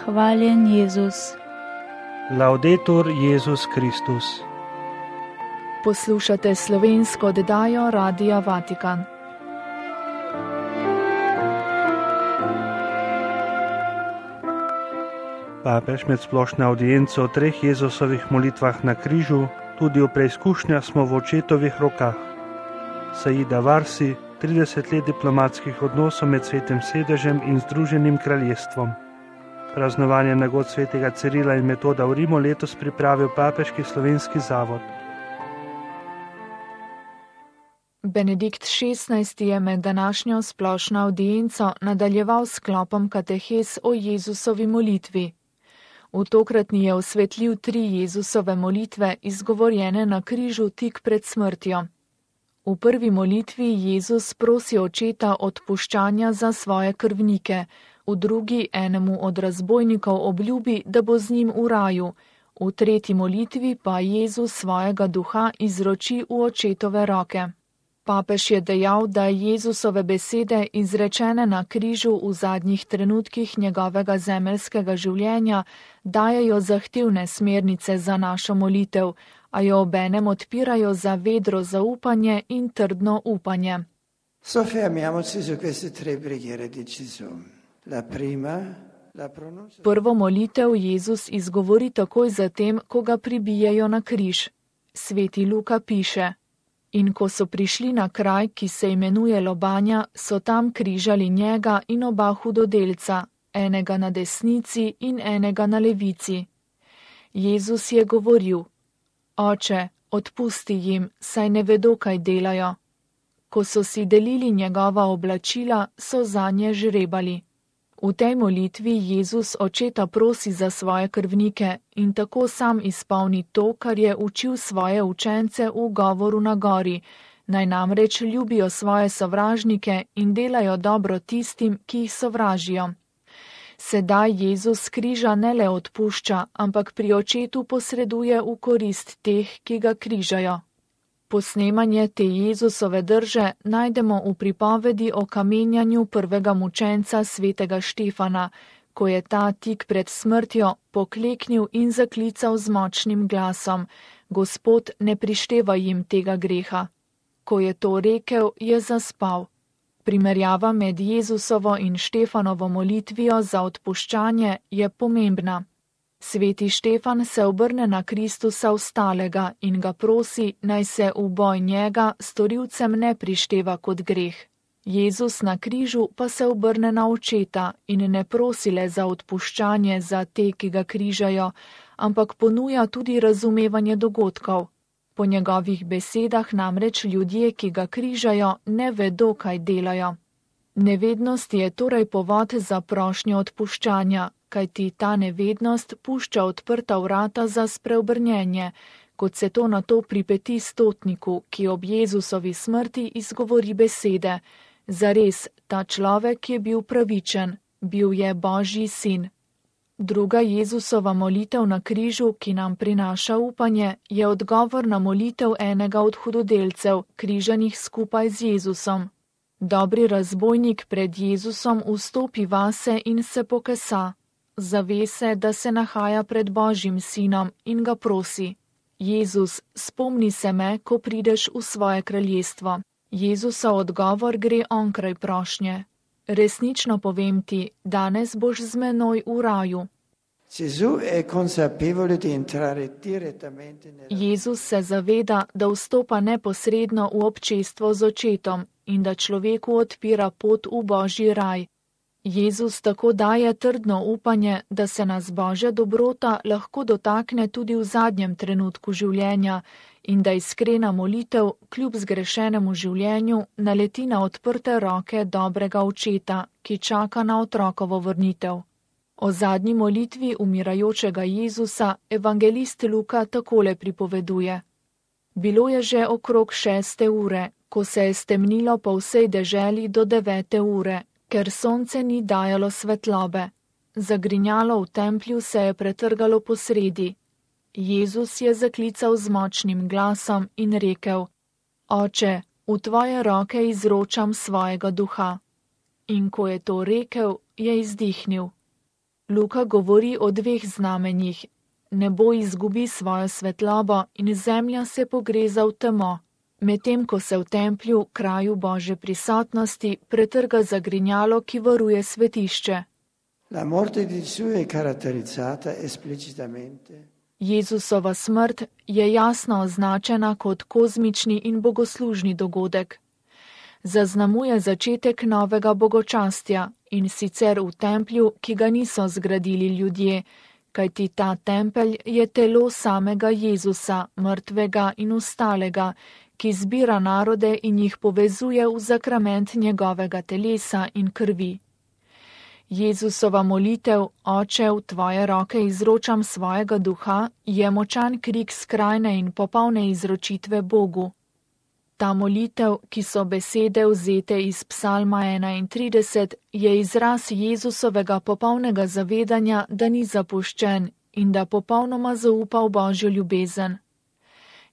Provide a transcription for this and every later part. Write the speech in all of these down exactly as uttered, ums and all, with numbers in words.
Hvaljen Jezus. Laudetur Jezus Kristus. Poslušate slovensko oddajo Radia Vatikan. Papež med splošno audienco o treh Jezusovih molitvah na križu, tudi v preizkušnjah smo v očetovih rokah. Saida Varsi, trideset let diplomatskih odnosov med Svetim sedežem in Združenim kraljestvom. Praznovanje nagod svetega Cirila in Metoda v Rimu letos pripravil Papeški slovenski zavod. Benedikt šestnajsti je med današnjo splošno audienco nadaljeval s sklopom katehes o Jezusovi molitvi. V tokratni je osvetlil tri Jezusove molitve, izgovorjene na križu tik pred smrtjo. V prvi molitvi Jezus prosi očeta odpuščanja za svoje krvnike, v drugi enemu od razbojnikov obljubi, da bo z njim v raju, v tretji molitvi pa Jezus svojega duha izroči v očetove roke. Papež je dejal, da Jezusove besede, izrečene na križu v zadnjih trenutkih njegovega zemeljskega življenja, dajejo zahtevne smernice za našo molitev, a jo obenem odpirajo za vedro zaupanje in trdno upanje. Soffermiamoci su queste tre preghiere di Gesù. La prima, la pronuncia... Prvo molitev Jezus izgovori takoj zatem, ko ga pribijejo na križ. Sveti Luka piše: In ko so prišli na kraj, ki se imenuje Lobanja, so tam križali njega in oba hudodelca, enega na desnici in enega na levici. Jezus je govoril: Oče, odpusti jim, saj ne vedo, kaj delajo. Ko so si delili njegova oblačila, so zanje žrebali. V tej molitvi Jezus očeta prosi za svoje krvnike in tako sam izpolni to, kar je učil svoje učence v govoru na gori, naj namreč ljubijo svoje sovražnike in delajo dobro tistim, ki jih sovražijo. Sedaj Jezus križa ne le odpušča, ampak pri očetu posreduje v korist teh, ki ga križajo. Posnemanje te Jezusove drže najdemo v pripovedi o kamenjanju prvega mučenca svetega Štefana, ko je ta tik pred smrtjo pokleknil in zaklical z močnim glasom: Gospod, ne prišteva jim tega greha. Ko je to rekel, je zaspal. Primerjava med Jezusovo in Štefanovo molitvijo za odpuščanje je pomembna. Sveti Štefan se obrne na Kristusa vstalega in ga prosi, naj se v boj njega storilcem ne prišteva kot greh. Jezus na križu pa se obrne na očeta in ne prosi le za odpuščanje za te, ki ga križajo, ampak ponuja tudi razumevanje dogodkov. Po njegovih besedah namreč ljudje, ki ga križajo, ne vedo, kaj delajo. Nevednost je torej povod za prošnjo odpuščanja, kajti ta nevednost pušča odprta vrata za spreobrnjenje, kot se to nato pripeti stotniku, ki ob Jezusovi smrti izgovori besede: Zares, ta človek je bil pravičen, bil je Božji sin. Druga Jezusova molitev na križu, ki nam prinaša upanje, je odgovor na molitev enega od hudodelcev, križanih skupaj z Jezusom. Dobri razbojnik pred Jezusom vstopi vase in se pokesa. Zave se, da se nahaja pred Božjim sinom in ga prosi: Jezus, spomni se me, ko prideš v svoje kraljestvo. Jezusov odgovor gre onkraj prošnje: Resnično povem ti, danes boš z menoj v raju. Jezus se zaveda, da vstopa neposredno v občestvo z očetom in da človeku odpira pot v Božji raj. Jezus tako daje trdno upanje, da se nas Božja dobrota lahko dotakne tudi v zadnjem trenutku življenja in da iskrena molitev, kljub zgrešenemu življenju, naleti na odprte roke dobrega očeta, ki čaka na otrokovo vrnitev. O zadnji molitvi umirajočega Jezusa evangelist Luka takole pripoveduje: Bilo je že okrog šeste ure, ko se je stemnilo po vsej deželi do devete ure, ker sonce ni dajalo svetlobe. Zagrinjalo v templju se je pretrgalo posredi. Jezus je zaklical z močnim glasom in rekel: Oče, v tvoje roke izročam svojega duha. In ko je to rekel, je izdihnil. Luka govori o dveh znamenjih. Nebo izgubi svojo svetlobo in zemlja se pogreza v temo, medtem ko se v templju, kraju Božje prisotnosti, pretrga zagrinjalo, ki varuje svetišče. La morte di Gesù è caratterizzata esplicitamente. Jezusova smrt je jasno označena kot kozmični in bogoslužni dogodek. Zaznamuje začetek novega bogočastja, in sicer v templju, ki ga niso zgradili ljudje, kajti ta tempelj je telo samega Jezusa, mrtvega in ustalega, ki zbira narode in jih povezuje v zakrament njegovega telesa in krvi. Jezusova molitev, Oče, v tvoje roke izročam svojega duha, je močan krik skrajne in popolne izročitve Bogu. Ta molitev, ki so besede vzete iz psalma enaintrideset, je izraz Jezusovega popolnega zavedanja, da ni zapuščen in da popolnoma zaupa v Božjo ljubezen.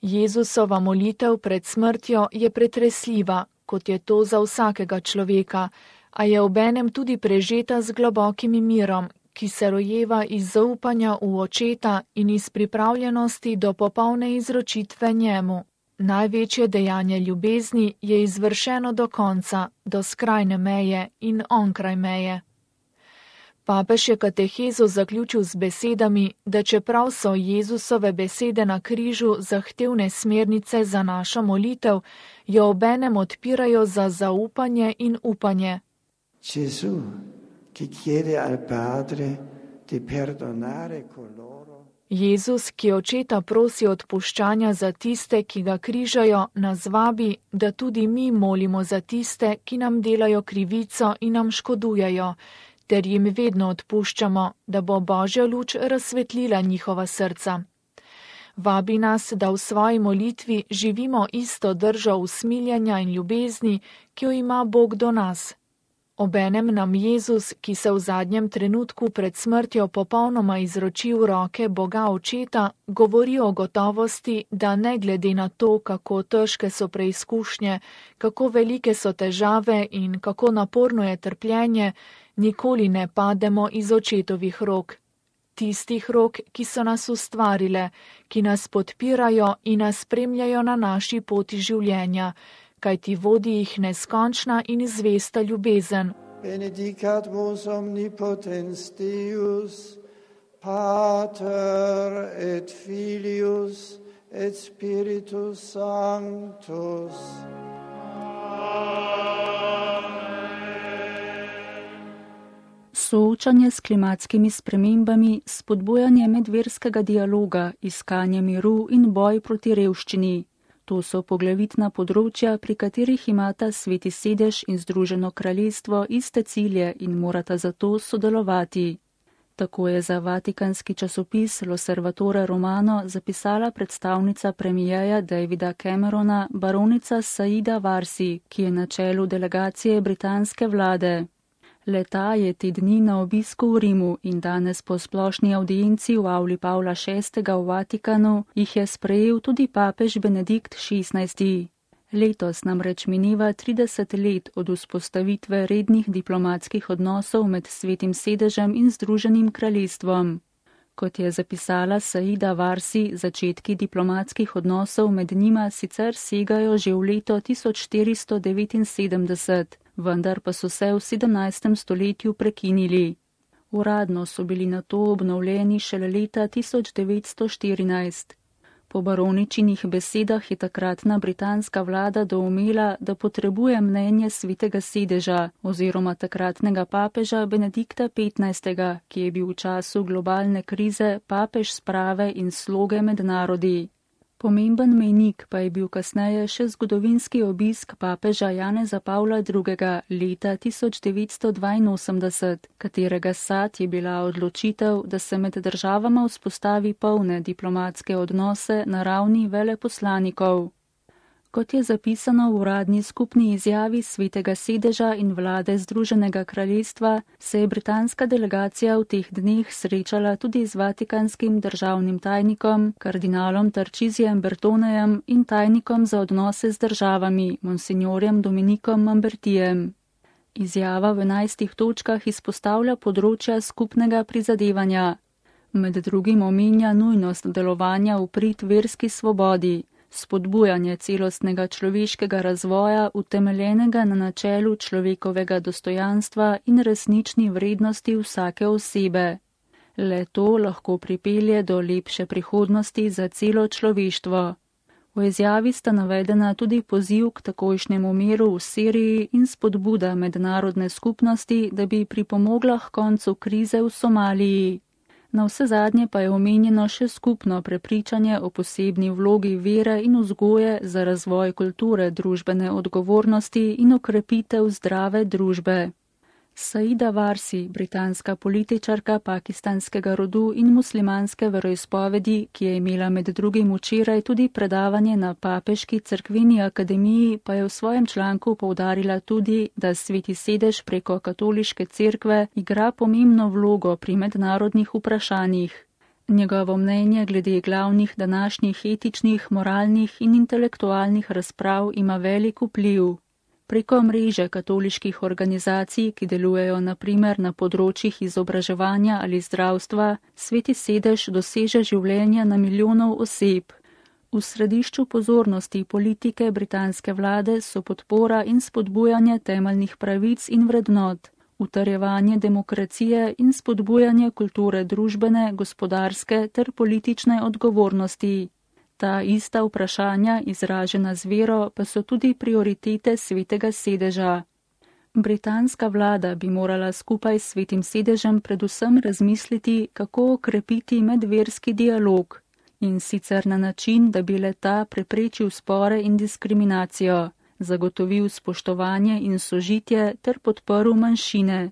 Jezusova molitev pred smrtjo je pretresljiva, kot je to za vsakega človeka, a je obenem tudi prežeta z globokim mirom, ki se rojeva iz zaupanja v Očeta in iz pripravljenosti do popolne izročitve njemu. Največje dejanje ljubezni je izvršeno do konca, do skrajne meje in onkraj meje. Papež je katehezo zaključil z besedami, da čeprav so Jezusove besede na križu zahtevne smernice za našo molitev, jo obenem odpirajo za zaupanje in upanje. Gesù, ki chiede al Padre di perdonare coloro. Jezus, ki Očeta prosi odpuščanja za tiste, ki ga križajo, nas vabi, da tudi mi molimo za tiste, ki nam delajo krivico in nam škodujejo, ter jim vedno odpuščamo, da bo Božja luč razsvetlila njihova srca. Vabi nas, da v svoji molitvi živimo isto držo usmiljanja in ljubezni, ki jo ima Bog do nas. Obenem nam Jezus, ki se v zadnjem trenutku pred smrtjo popolnoma izroči v roke Boga Očeta, govori o gotovosti, da ne glede na to, kako težke so preizkušnje, kako velike so težave in kako naporno je trpljenje, nikoli ne pademo iz Očetovih rok. Tistih rok, ki so nas ustvarile, ki nas podpirajo in nas spremljajo na naši poti življenja, kajti vodi jih neskončna in zvesta ljubezen. Benedicat vos omnipotens Deus, Pater et Filius et Spiritus Sanctus. Soočanje s klimatskimi spremembami, spodbujanje medverskega dialoga, iskanje miru in boj proti revščini. To so poglavitna področja, pri katerih imata Sveti sedež in Združeno kraljestvo iste cilje in morata zato sodelovati. Tako je za vatikanski časopis L'Osservatore Romano zapisala predstavnica premijeja Davida Camerona, baronica Saida Warsi, ki je na čelu delegacije britanske vlade. Leta je te dni na obisku v Rimu in danes po splošni audienci v avli Pavla šestega v Vatikanu jih je sprejel tudi papež Benedikt šestnajsti. Letos namreč mineva trideset let od vzpostavitve rednih diplomatskih odnosov med Svetim sedežem in Združenim kraljestvom. Kot je zapisala Saida Warsi, začetki diplomatskih odnosov med njima sicer segajo že v leto tisoč štiristo devetinsedemdeset, vendar pa so se v sedemnajstem stoletju prekinili. Uradno so bili nato obnovljeni šele leta tisoč devetsto štirinajst. Po baroničinih besedah je takratna britanska vlada doumela, da potrebuje mnenje Svetega sedeža oziroma takratnega papeža Benedikta petnajstega, ki je bil v času globalne krize papež sprave in sloge med narodi. Pomemben mejnik pa je bil kasneje še zgodovinski obisk papeža Janeza Pavla drugega leta tisoč devetsto dvainosemdeset, katerega sad je bila odločitev, da se med državama vzpostavi polne diplomatske odnose na ravni veleposlanikov. Kot je zapisano v uradni skupni izjavi Svetega sedeža in vlade Združenega kraljestva, se je britanska delegacija v teh dneh srečala tudi z vatikanskim državnim tajnikom, kardinalom Tarčizijem Bertonejem in tajnikom za odnose z državami, monsignorjem Dominikom Mambertijem. Izjava v enajstih točkah izpostavlja področja skupnega prizadevanja. Med drugim omenja nujnost delovanja v prid verski svobodi, spodbujanje celostnega človeškega razvoja, utemeljenega na načelu človekovega dostojanstva in resnični vrednosti vsake osebe. Le to lahko pripelje do lepše prihodnosti za celo človeštvo. V izjavi sta navedena tudi poziv k takojšnjemu miru v Siriji in spodbuda mednarodne skupnosti, da bi pripomogla k koncu krize v Somaliji. Na vse zadnje pa je omenjeno še skupno prepričanje o posebni vlogi vere in vzgoje za razvoj kulture družbene odgovornosti in okrepitev zdrave družbe. Saida Warsi, britanska političarka pakistanskega rodu in muslimanske veroizpovedi, ki je imela med drugim včeraj tudi predavanje na Papeški cerkveni akademiji, pa je v svojem članku poudarila tudi, da Sveti sedež preko katoliške cerkve igra pomembno vlogo pri mednarodnih vprašanjih. Njegovo mnenje glede glavnih današnjih etičnih, moralnih in intelektualnih razprav ima velik vpliv. Preko mreže katoliških organizacij, ki delujejo na primer na področjih izobraževanja ali zdravstva, Sveti sedež doseže življenja na milijonov oseb. V središču pozornosti politike britanske vlade so podpora in spodbujanje temeljnih pravic in vrednot, utrjevanje demokracije in spodbujanje kulture družbene, gospodarske ter politične odgovornosti. Ta ista vprašanja, izražena z vero, pa so tudi prioritete Svetega sedeža. Britanska vlada bi morala skupaj s Svetim sedežem predvsem razmisliti, kako okrepiti medverski dialog, in sicer na način, da bi le-ta preprečil spore in diskriminacijo, zagotovil spoštovanje in sožitje ter podprl manjšine.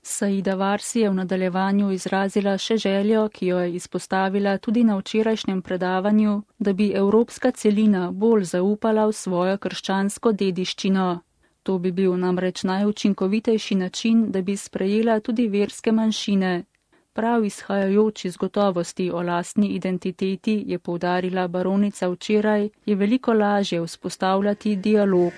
Saida Warsi je v nadaljevanju izrazila še željo, ki jo je izpostavila tudi na včerajšnjem predavanju, da bi evropska celina bolj zaupala v svojo krščansko dediščino. To bi bil namreč najučinkovitejši način, da bi sprejela tudi verske manjšine. Prav izhajajoč iz gotovosti o lastni identiteti, je poudarila baronica včeraj, je veliko lažje vzpostavljati dialog.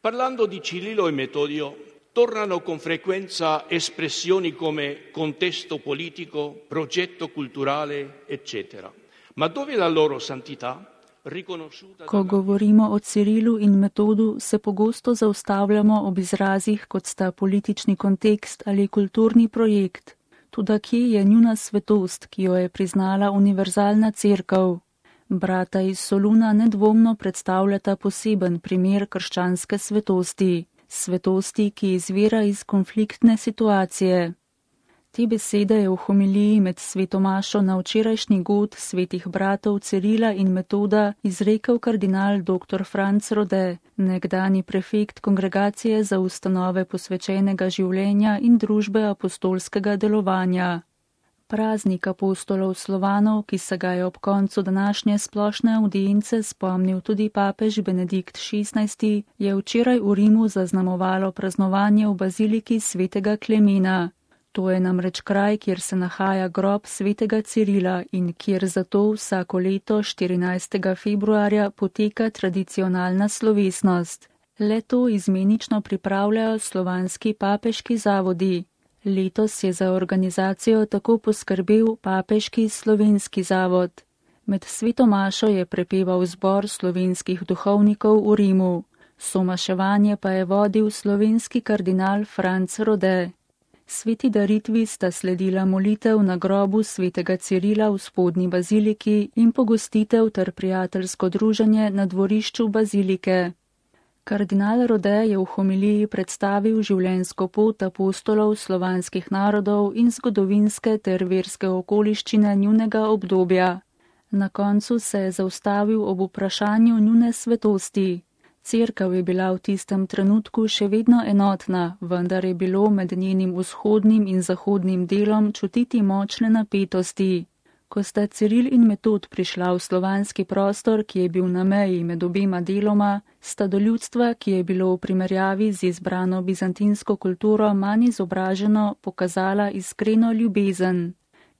Parlando di Cirillo e Metodio, tornano con frequenza espressioni come contesto politico, progetto culturale, eccetera. Ma dove la loro santità? Riconosciuta... Ko govorimo o Cirilu in Metodu, se pogosto zaustavljamo ob izrazih, kot sta politični kontekst ali kulturni projekt. Toda kje je njuna svetost, ki jo je priznala univerzalna cerkev? Brata iz Soluna nedvomno predstavljata poseben primer krščanske svetosti, svetosti, ki izvira iz konfliktne situacije. Te besede je v homiliji med svetomašo na včerajšnji god svetih bratov Cirila in Metoda izrekel kardinal doktor Franc Rode, nekdani prefekt Kongregacije za ustanove posvečenega življenja in družbe apostolskega delovanja. Praznik apostolov Slovanov, ki se ga je ob koncu današnje splošne avdience spomnil tudi papež Benedikt šestnajsti, je včeraj v Rimu zaznamovalo praznovanje v baziliki svetega Klemena. To je namreč kraj, kjer se nahaja grob svetega Cirila in kjer zato vsako leto štirinajstega februarja poteka tradicionalna slovesnost. Le-to izmenično pripravljajo slovanski papeški zavodi. Letos je za organizacijo tako poskrbel Papeški slovenski zavod. Med svetomašo je prepeval zbor slovenskih duhovnikov v Rimu. Somaševanje pa je vodil slovenski kardinal Franc Rode. Sveti daritvi sta sledila molitev na grobu svetega Cirila v spodnji baziliki in pogostitev ter prijateljsko druženje na dvorišču bazilike. Kardinal Rode je v homiliji predstavil življenjsko pot apostolov slovanskih narodov in zgodovinske ter verske okoliščine njunega obdobja. Na koncu se je zaustavil ob vprašanju njune svetosti. Cerkev je bila v tistem trenutku še vedno enotna, vendar je bilo med njenim vzhodnim in zahodnim delom čutiti močne napetosti. Ko sta Ciril in Metod prišla v slovanski prostor, ki je bil na meji med obema deloma, sta do ljudstva, ki je bilo v primerjavi z izbrano bizantinsko kulturo manj izobraženo, pokazala iskreno ljubezen.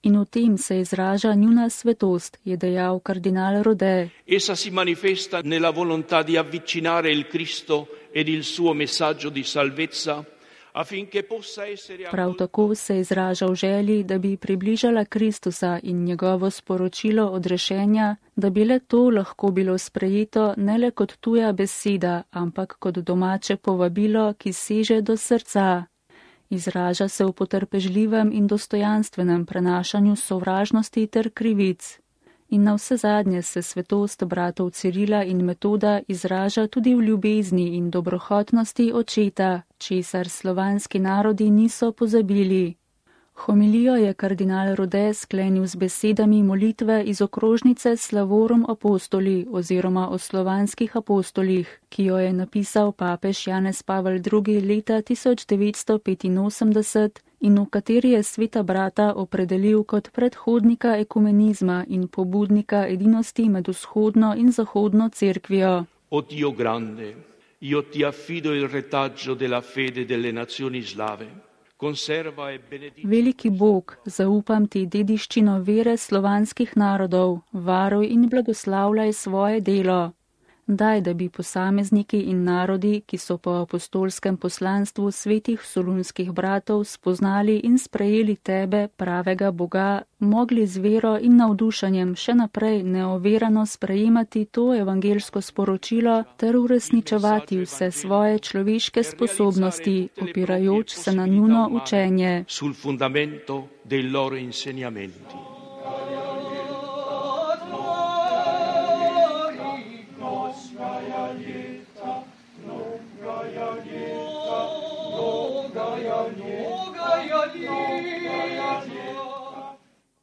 In v tem se izraža njuna svetost, je dejal kardinal Rode. Essa si manifesta nella volontà di avvicinare il Cristo ed il suo messaggio di salvezza, affinché possa essere... Prav tako se izraža v želji, da bi približala Kristusa in njegovo sporočilo odrešenja, da bi le to lahko bilo sprejeto ne le kot tuja beseda, ampak kot domače povabilo, ki seže do srca. Izraža se v potrpežljivem in dostojanstvenem prenašanju sovražnosti ter krivic. In na vse zadnje se svetost bratov Cirila in Metoda izraža tudi v ljubezni in dobrohotnosti očeta, česar slovanski narodi niso pozabili. Homilijo je kardinal Rode sklenil z besedami molitve iz okrožnice Slavorum Apostoli oziroma o slovanskih apostolih, ki jo je napisal papež Janez Pavel drugi. leta tisoč devetsto petinosemdeset in v kateri je sveta brata opredelil kot predhodnika ekumenizma in pobudnika edinosti med vzhodno in zahodno cerkvijo. O Dio grande, io ti affido il retaggio della fede delle nazioni slave. Veliki Bog, zaupam ti dediščino vere slovanskih narodov, varuj in blagoslavljaj svoje delo. Daj, da bi posamezniki in narodi, ki so po apostolskem poslanstvu svetih solunskih bratov spoznali in sprejeli tebe, pravega Boga, mogli z vero in navdušanjem še naprej neoverano sprejemati to evangelsko sporočilo ter uresničevati vse svoje človeške sposobnosti, opirajoč se na njuno učenje. Sul fundamento dei loro insegnamenti.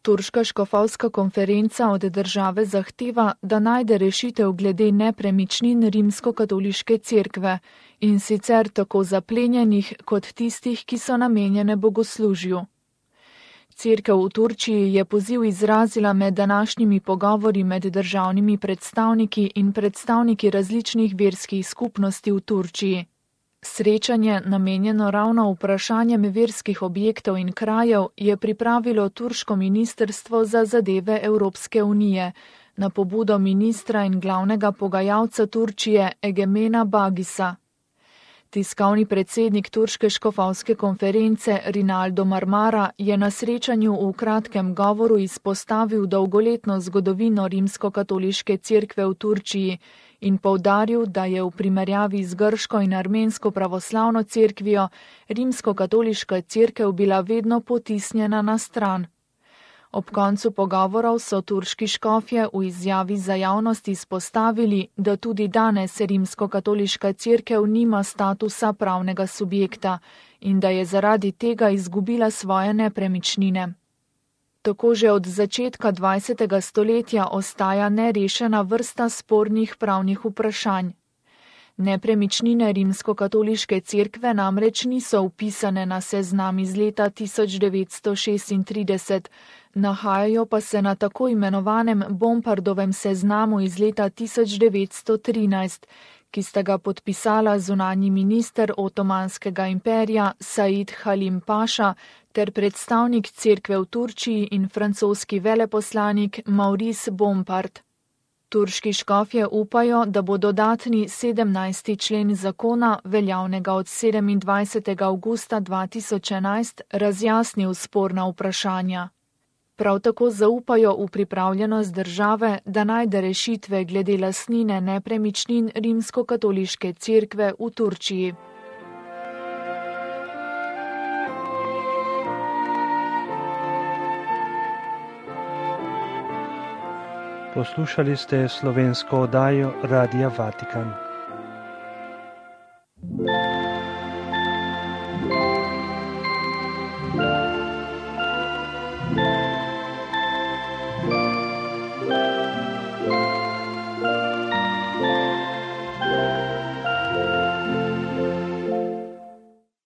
Turška škofovska konferenca od države zahteva, da najde rešitev glede nepremičnin rimskokatoliške cerkve, in sicer tako zaplenjenih kot tistih, ki so namenjene bogoslužju. Cerkev v Turčiji je poziv izrazila med današnjimi pogovori med državnimi predstavniki in predstavniki različnih verskih skupnosti v Turčiji. Srečanje, namenjeno ravno vprašanjem verskih objektov in krajev, je pripravilo turško ministrstvo za zadeve Evropske unije na pobudo ministra in glavnega pogajalca Turčije Egemena Bagisa. Tiskovni predsednik Turške škofovske konference Rinaldo Marmara je na srečanju v kratkem govoru izpostavil dolgoletno zgodovino rimskokatoliške cerkve v Turčiji in poudaril, da je v primerjavi z grško in armensko pravoslavno cerkvijo rimskokatoliška cerkev bila vedno potisnjena na stran. Ob koncu pogovorov so turški škofje v izjavi za javnost izpostavili, da tudi danes rimskokatoliška cerkev nima statusa pravnega subjekta in da je zaradi tega izgubila svoje nepremičnine. Tako že od začetka dvajsetega stoletja ostaja nerešena vrsta spornih pravnih vprašanj. Nepremičnine rimskokatoliške cerkve namreč niso vpisane na seznam iz leta tisoč devetsto šestintrideset, nahajajo pa se na tako imenovanem Bompardovem seznamu iz leta tisoč devetsto trinajst, ki sta ga podpisala zunanji minister Otomanskega imperija Said Halim Paša ter predstavnik cerkve v Turčiji in francoski veleposlanik Maurice Bompard. Turški škofje upajo, da bo dodatni sedemnajsti člen zakona, veljavnega od sedemindvajsetega avgusta dva tisoč enajst, razjasnil sporna vprašanja. Prav tako zaupajo v pripravljenost države, da najde rešitve glede lastnine nepremičnin rimskokatoliške cerkve v Turčiji. Poslušali ste slovensko oddajo Radia Vatikan.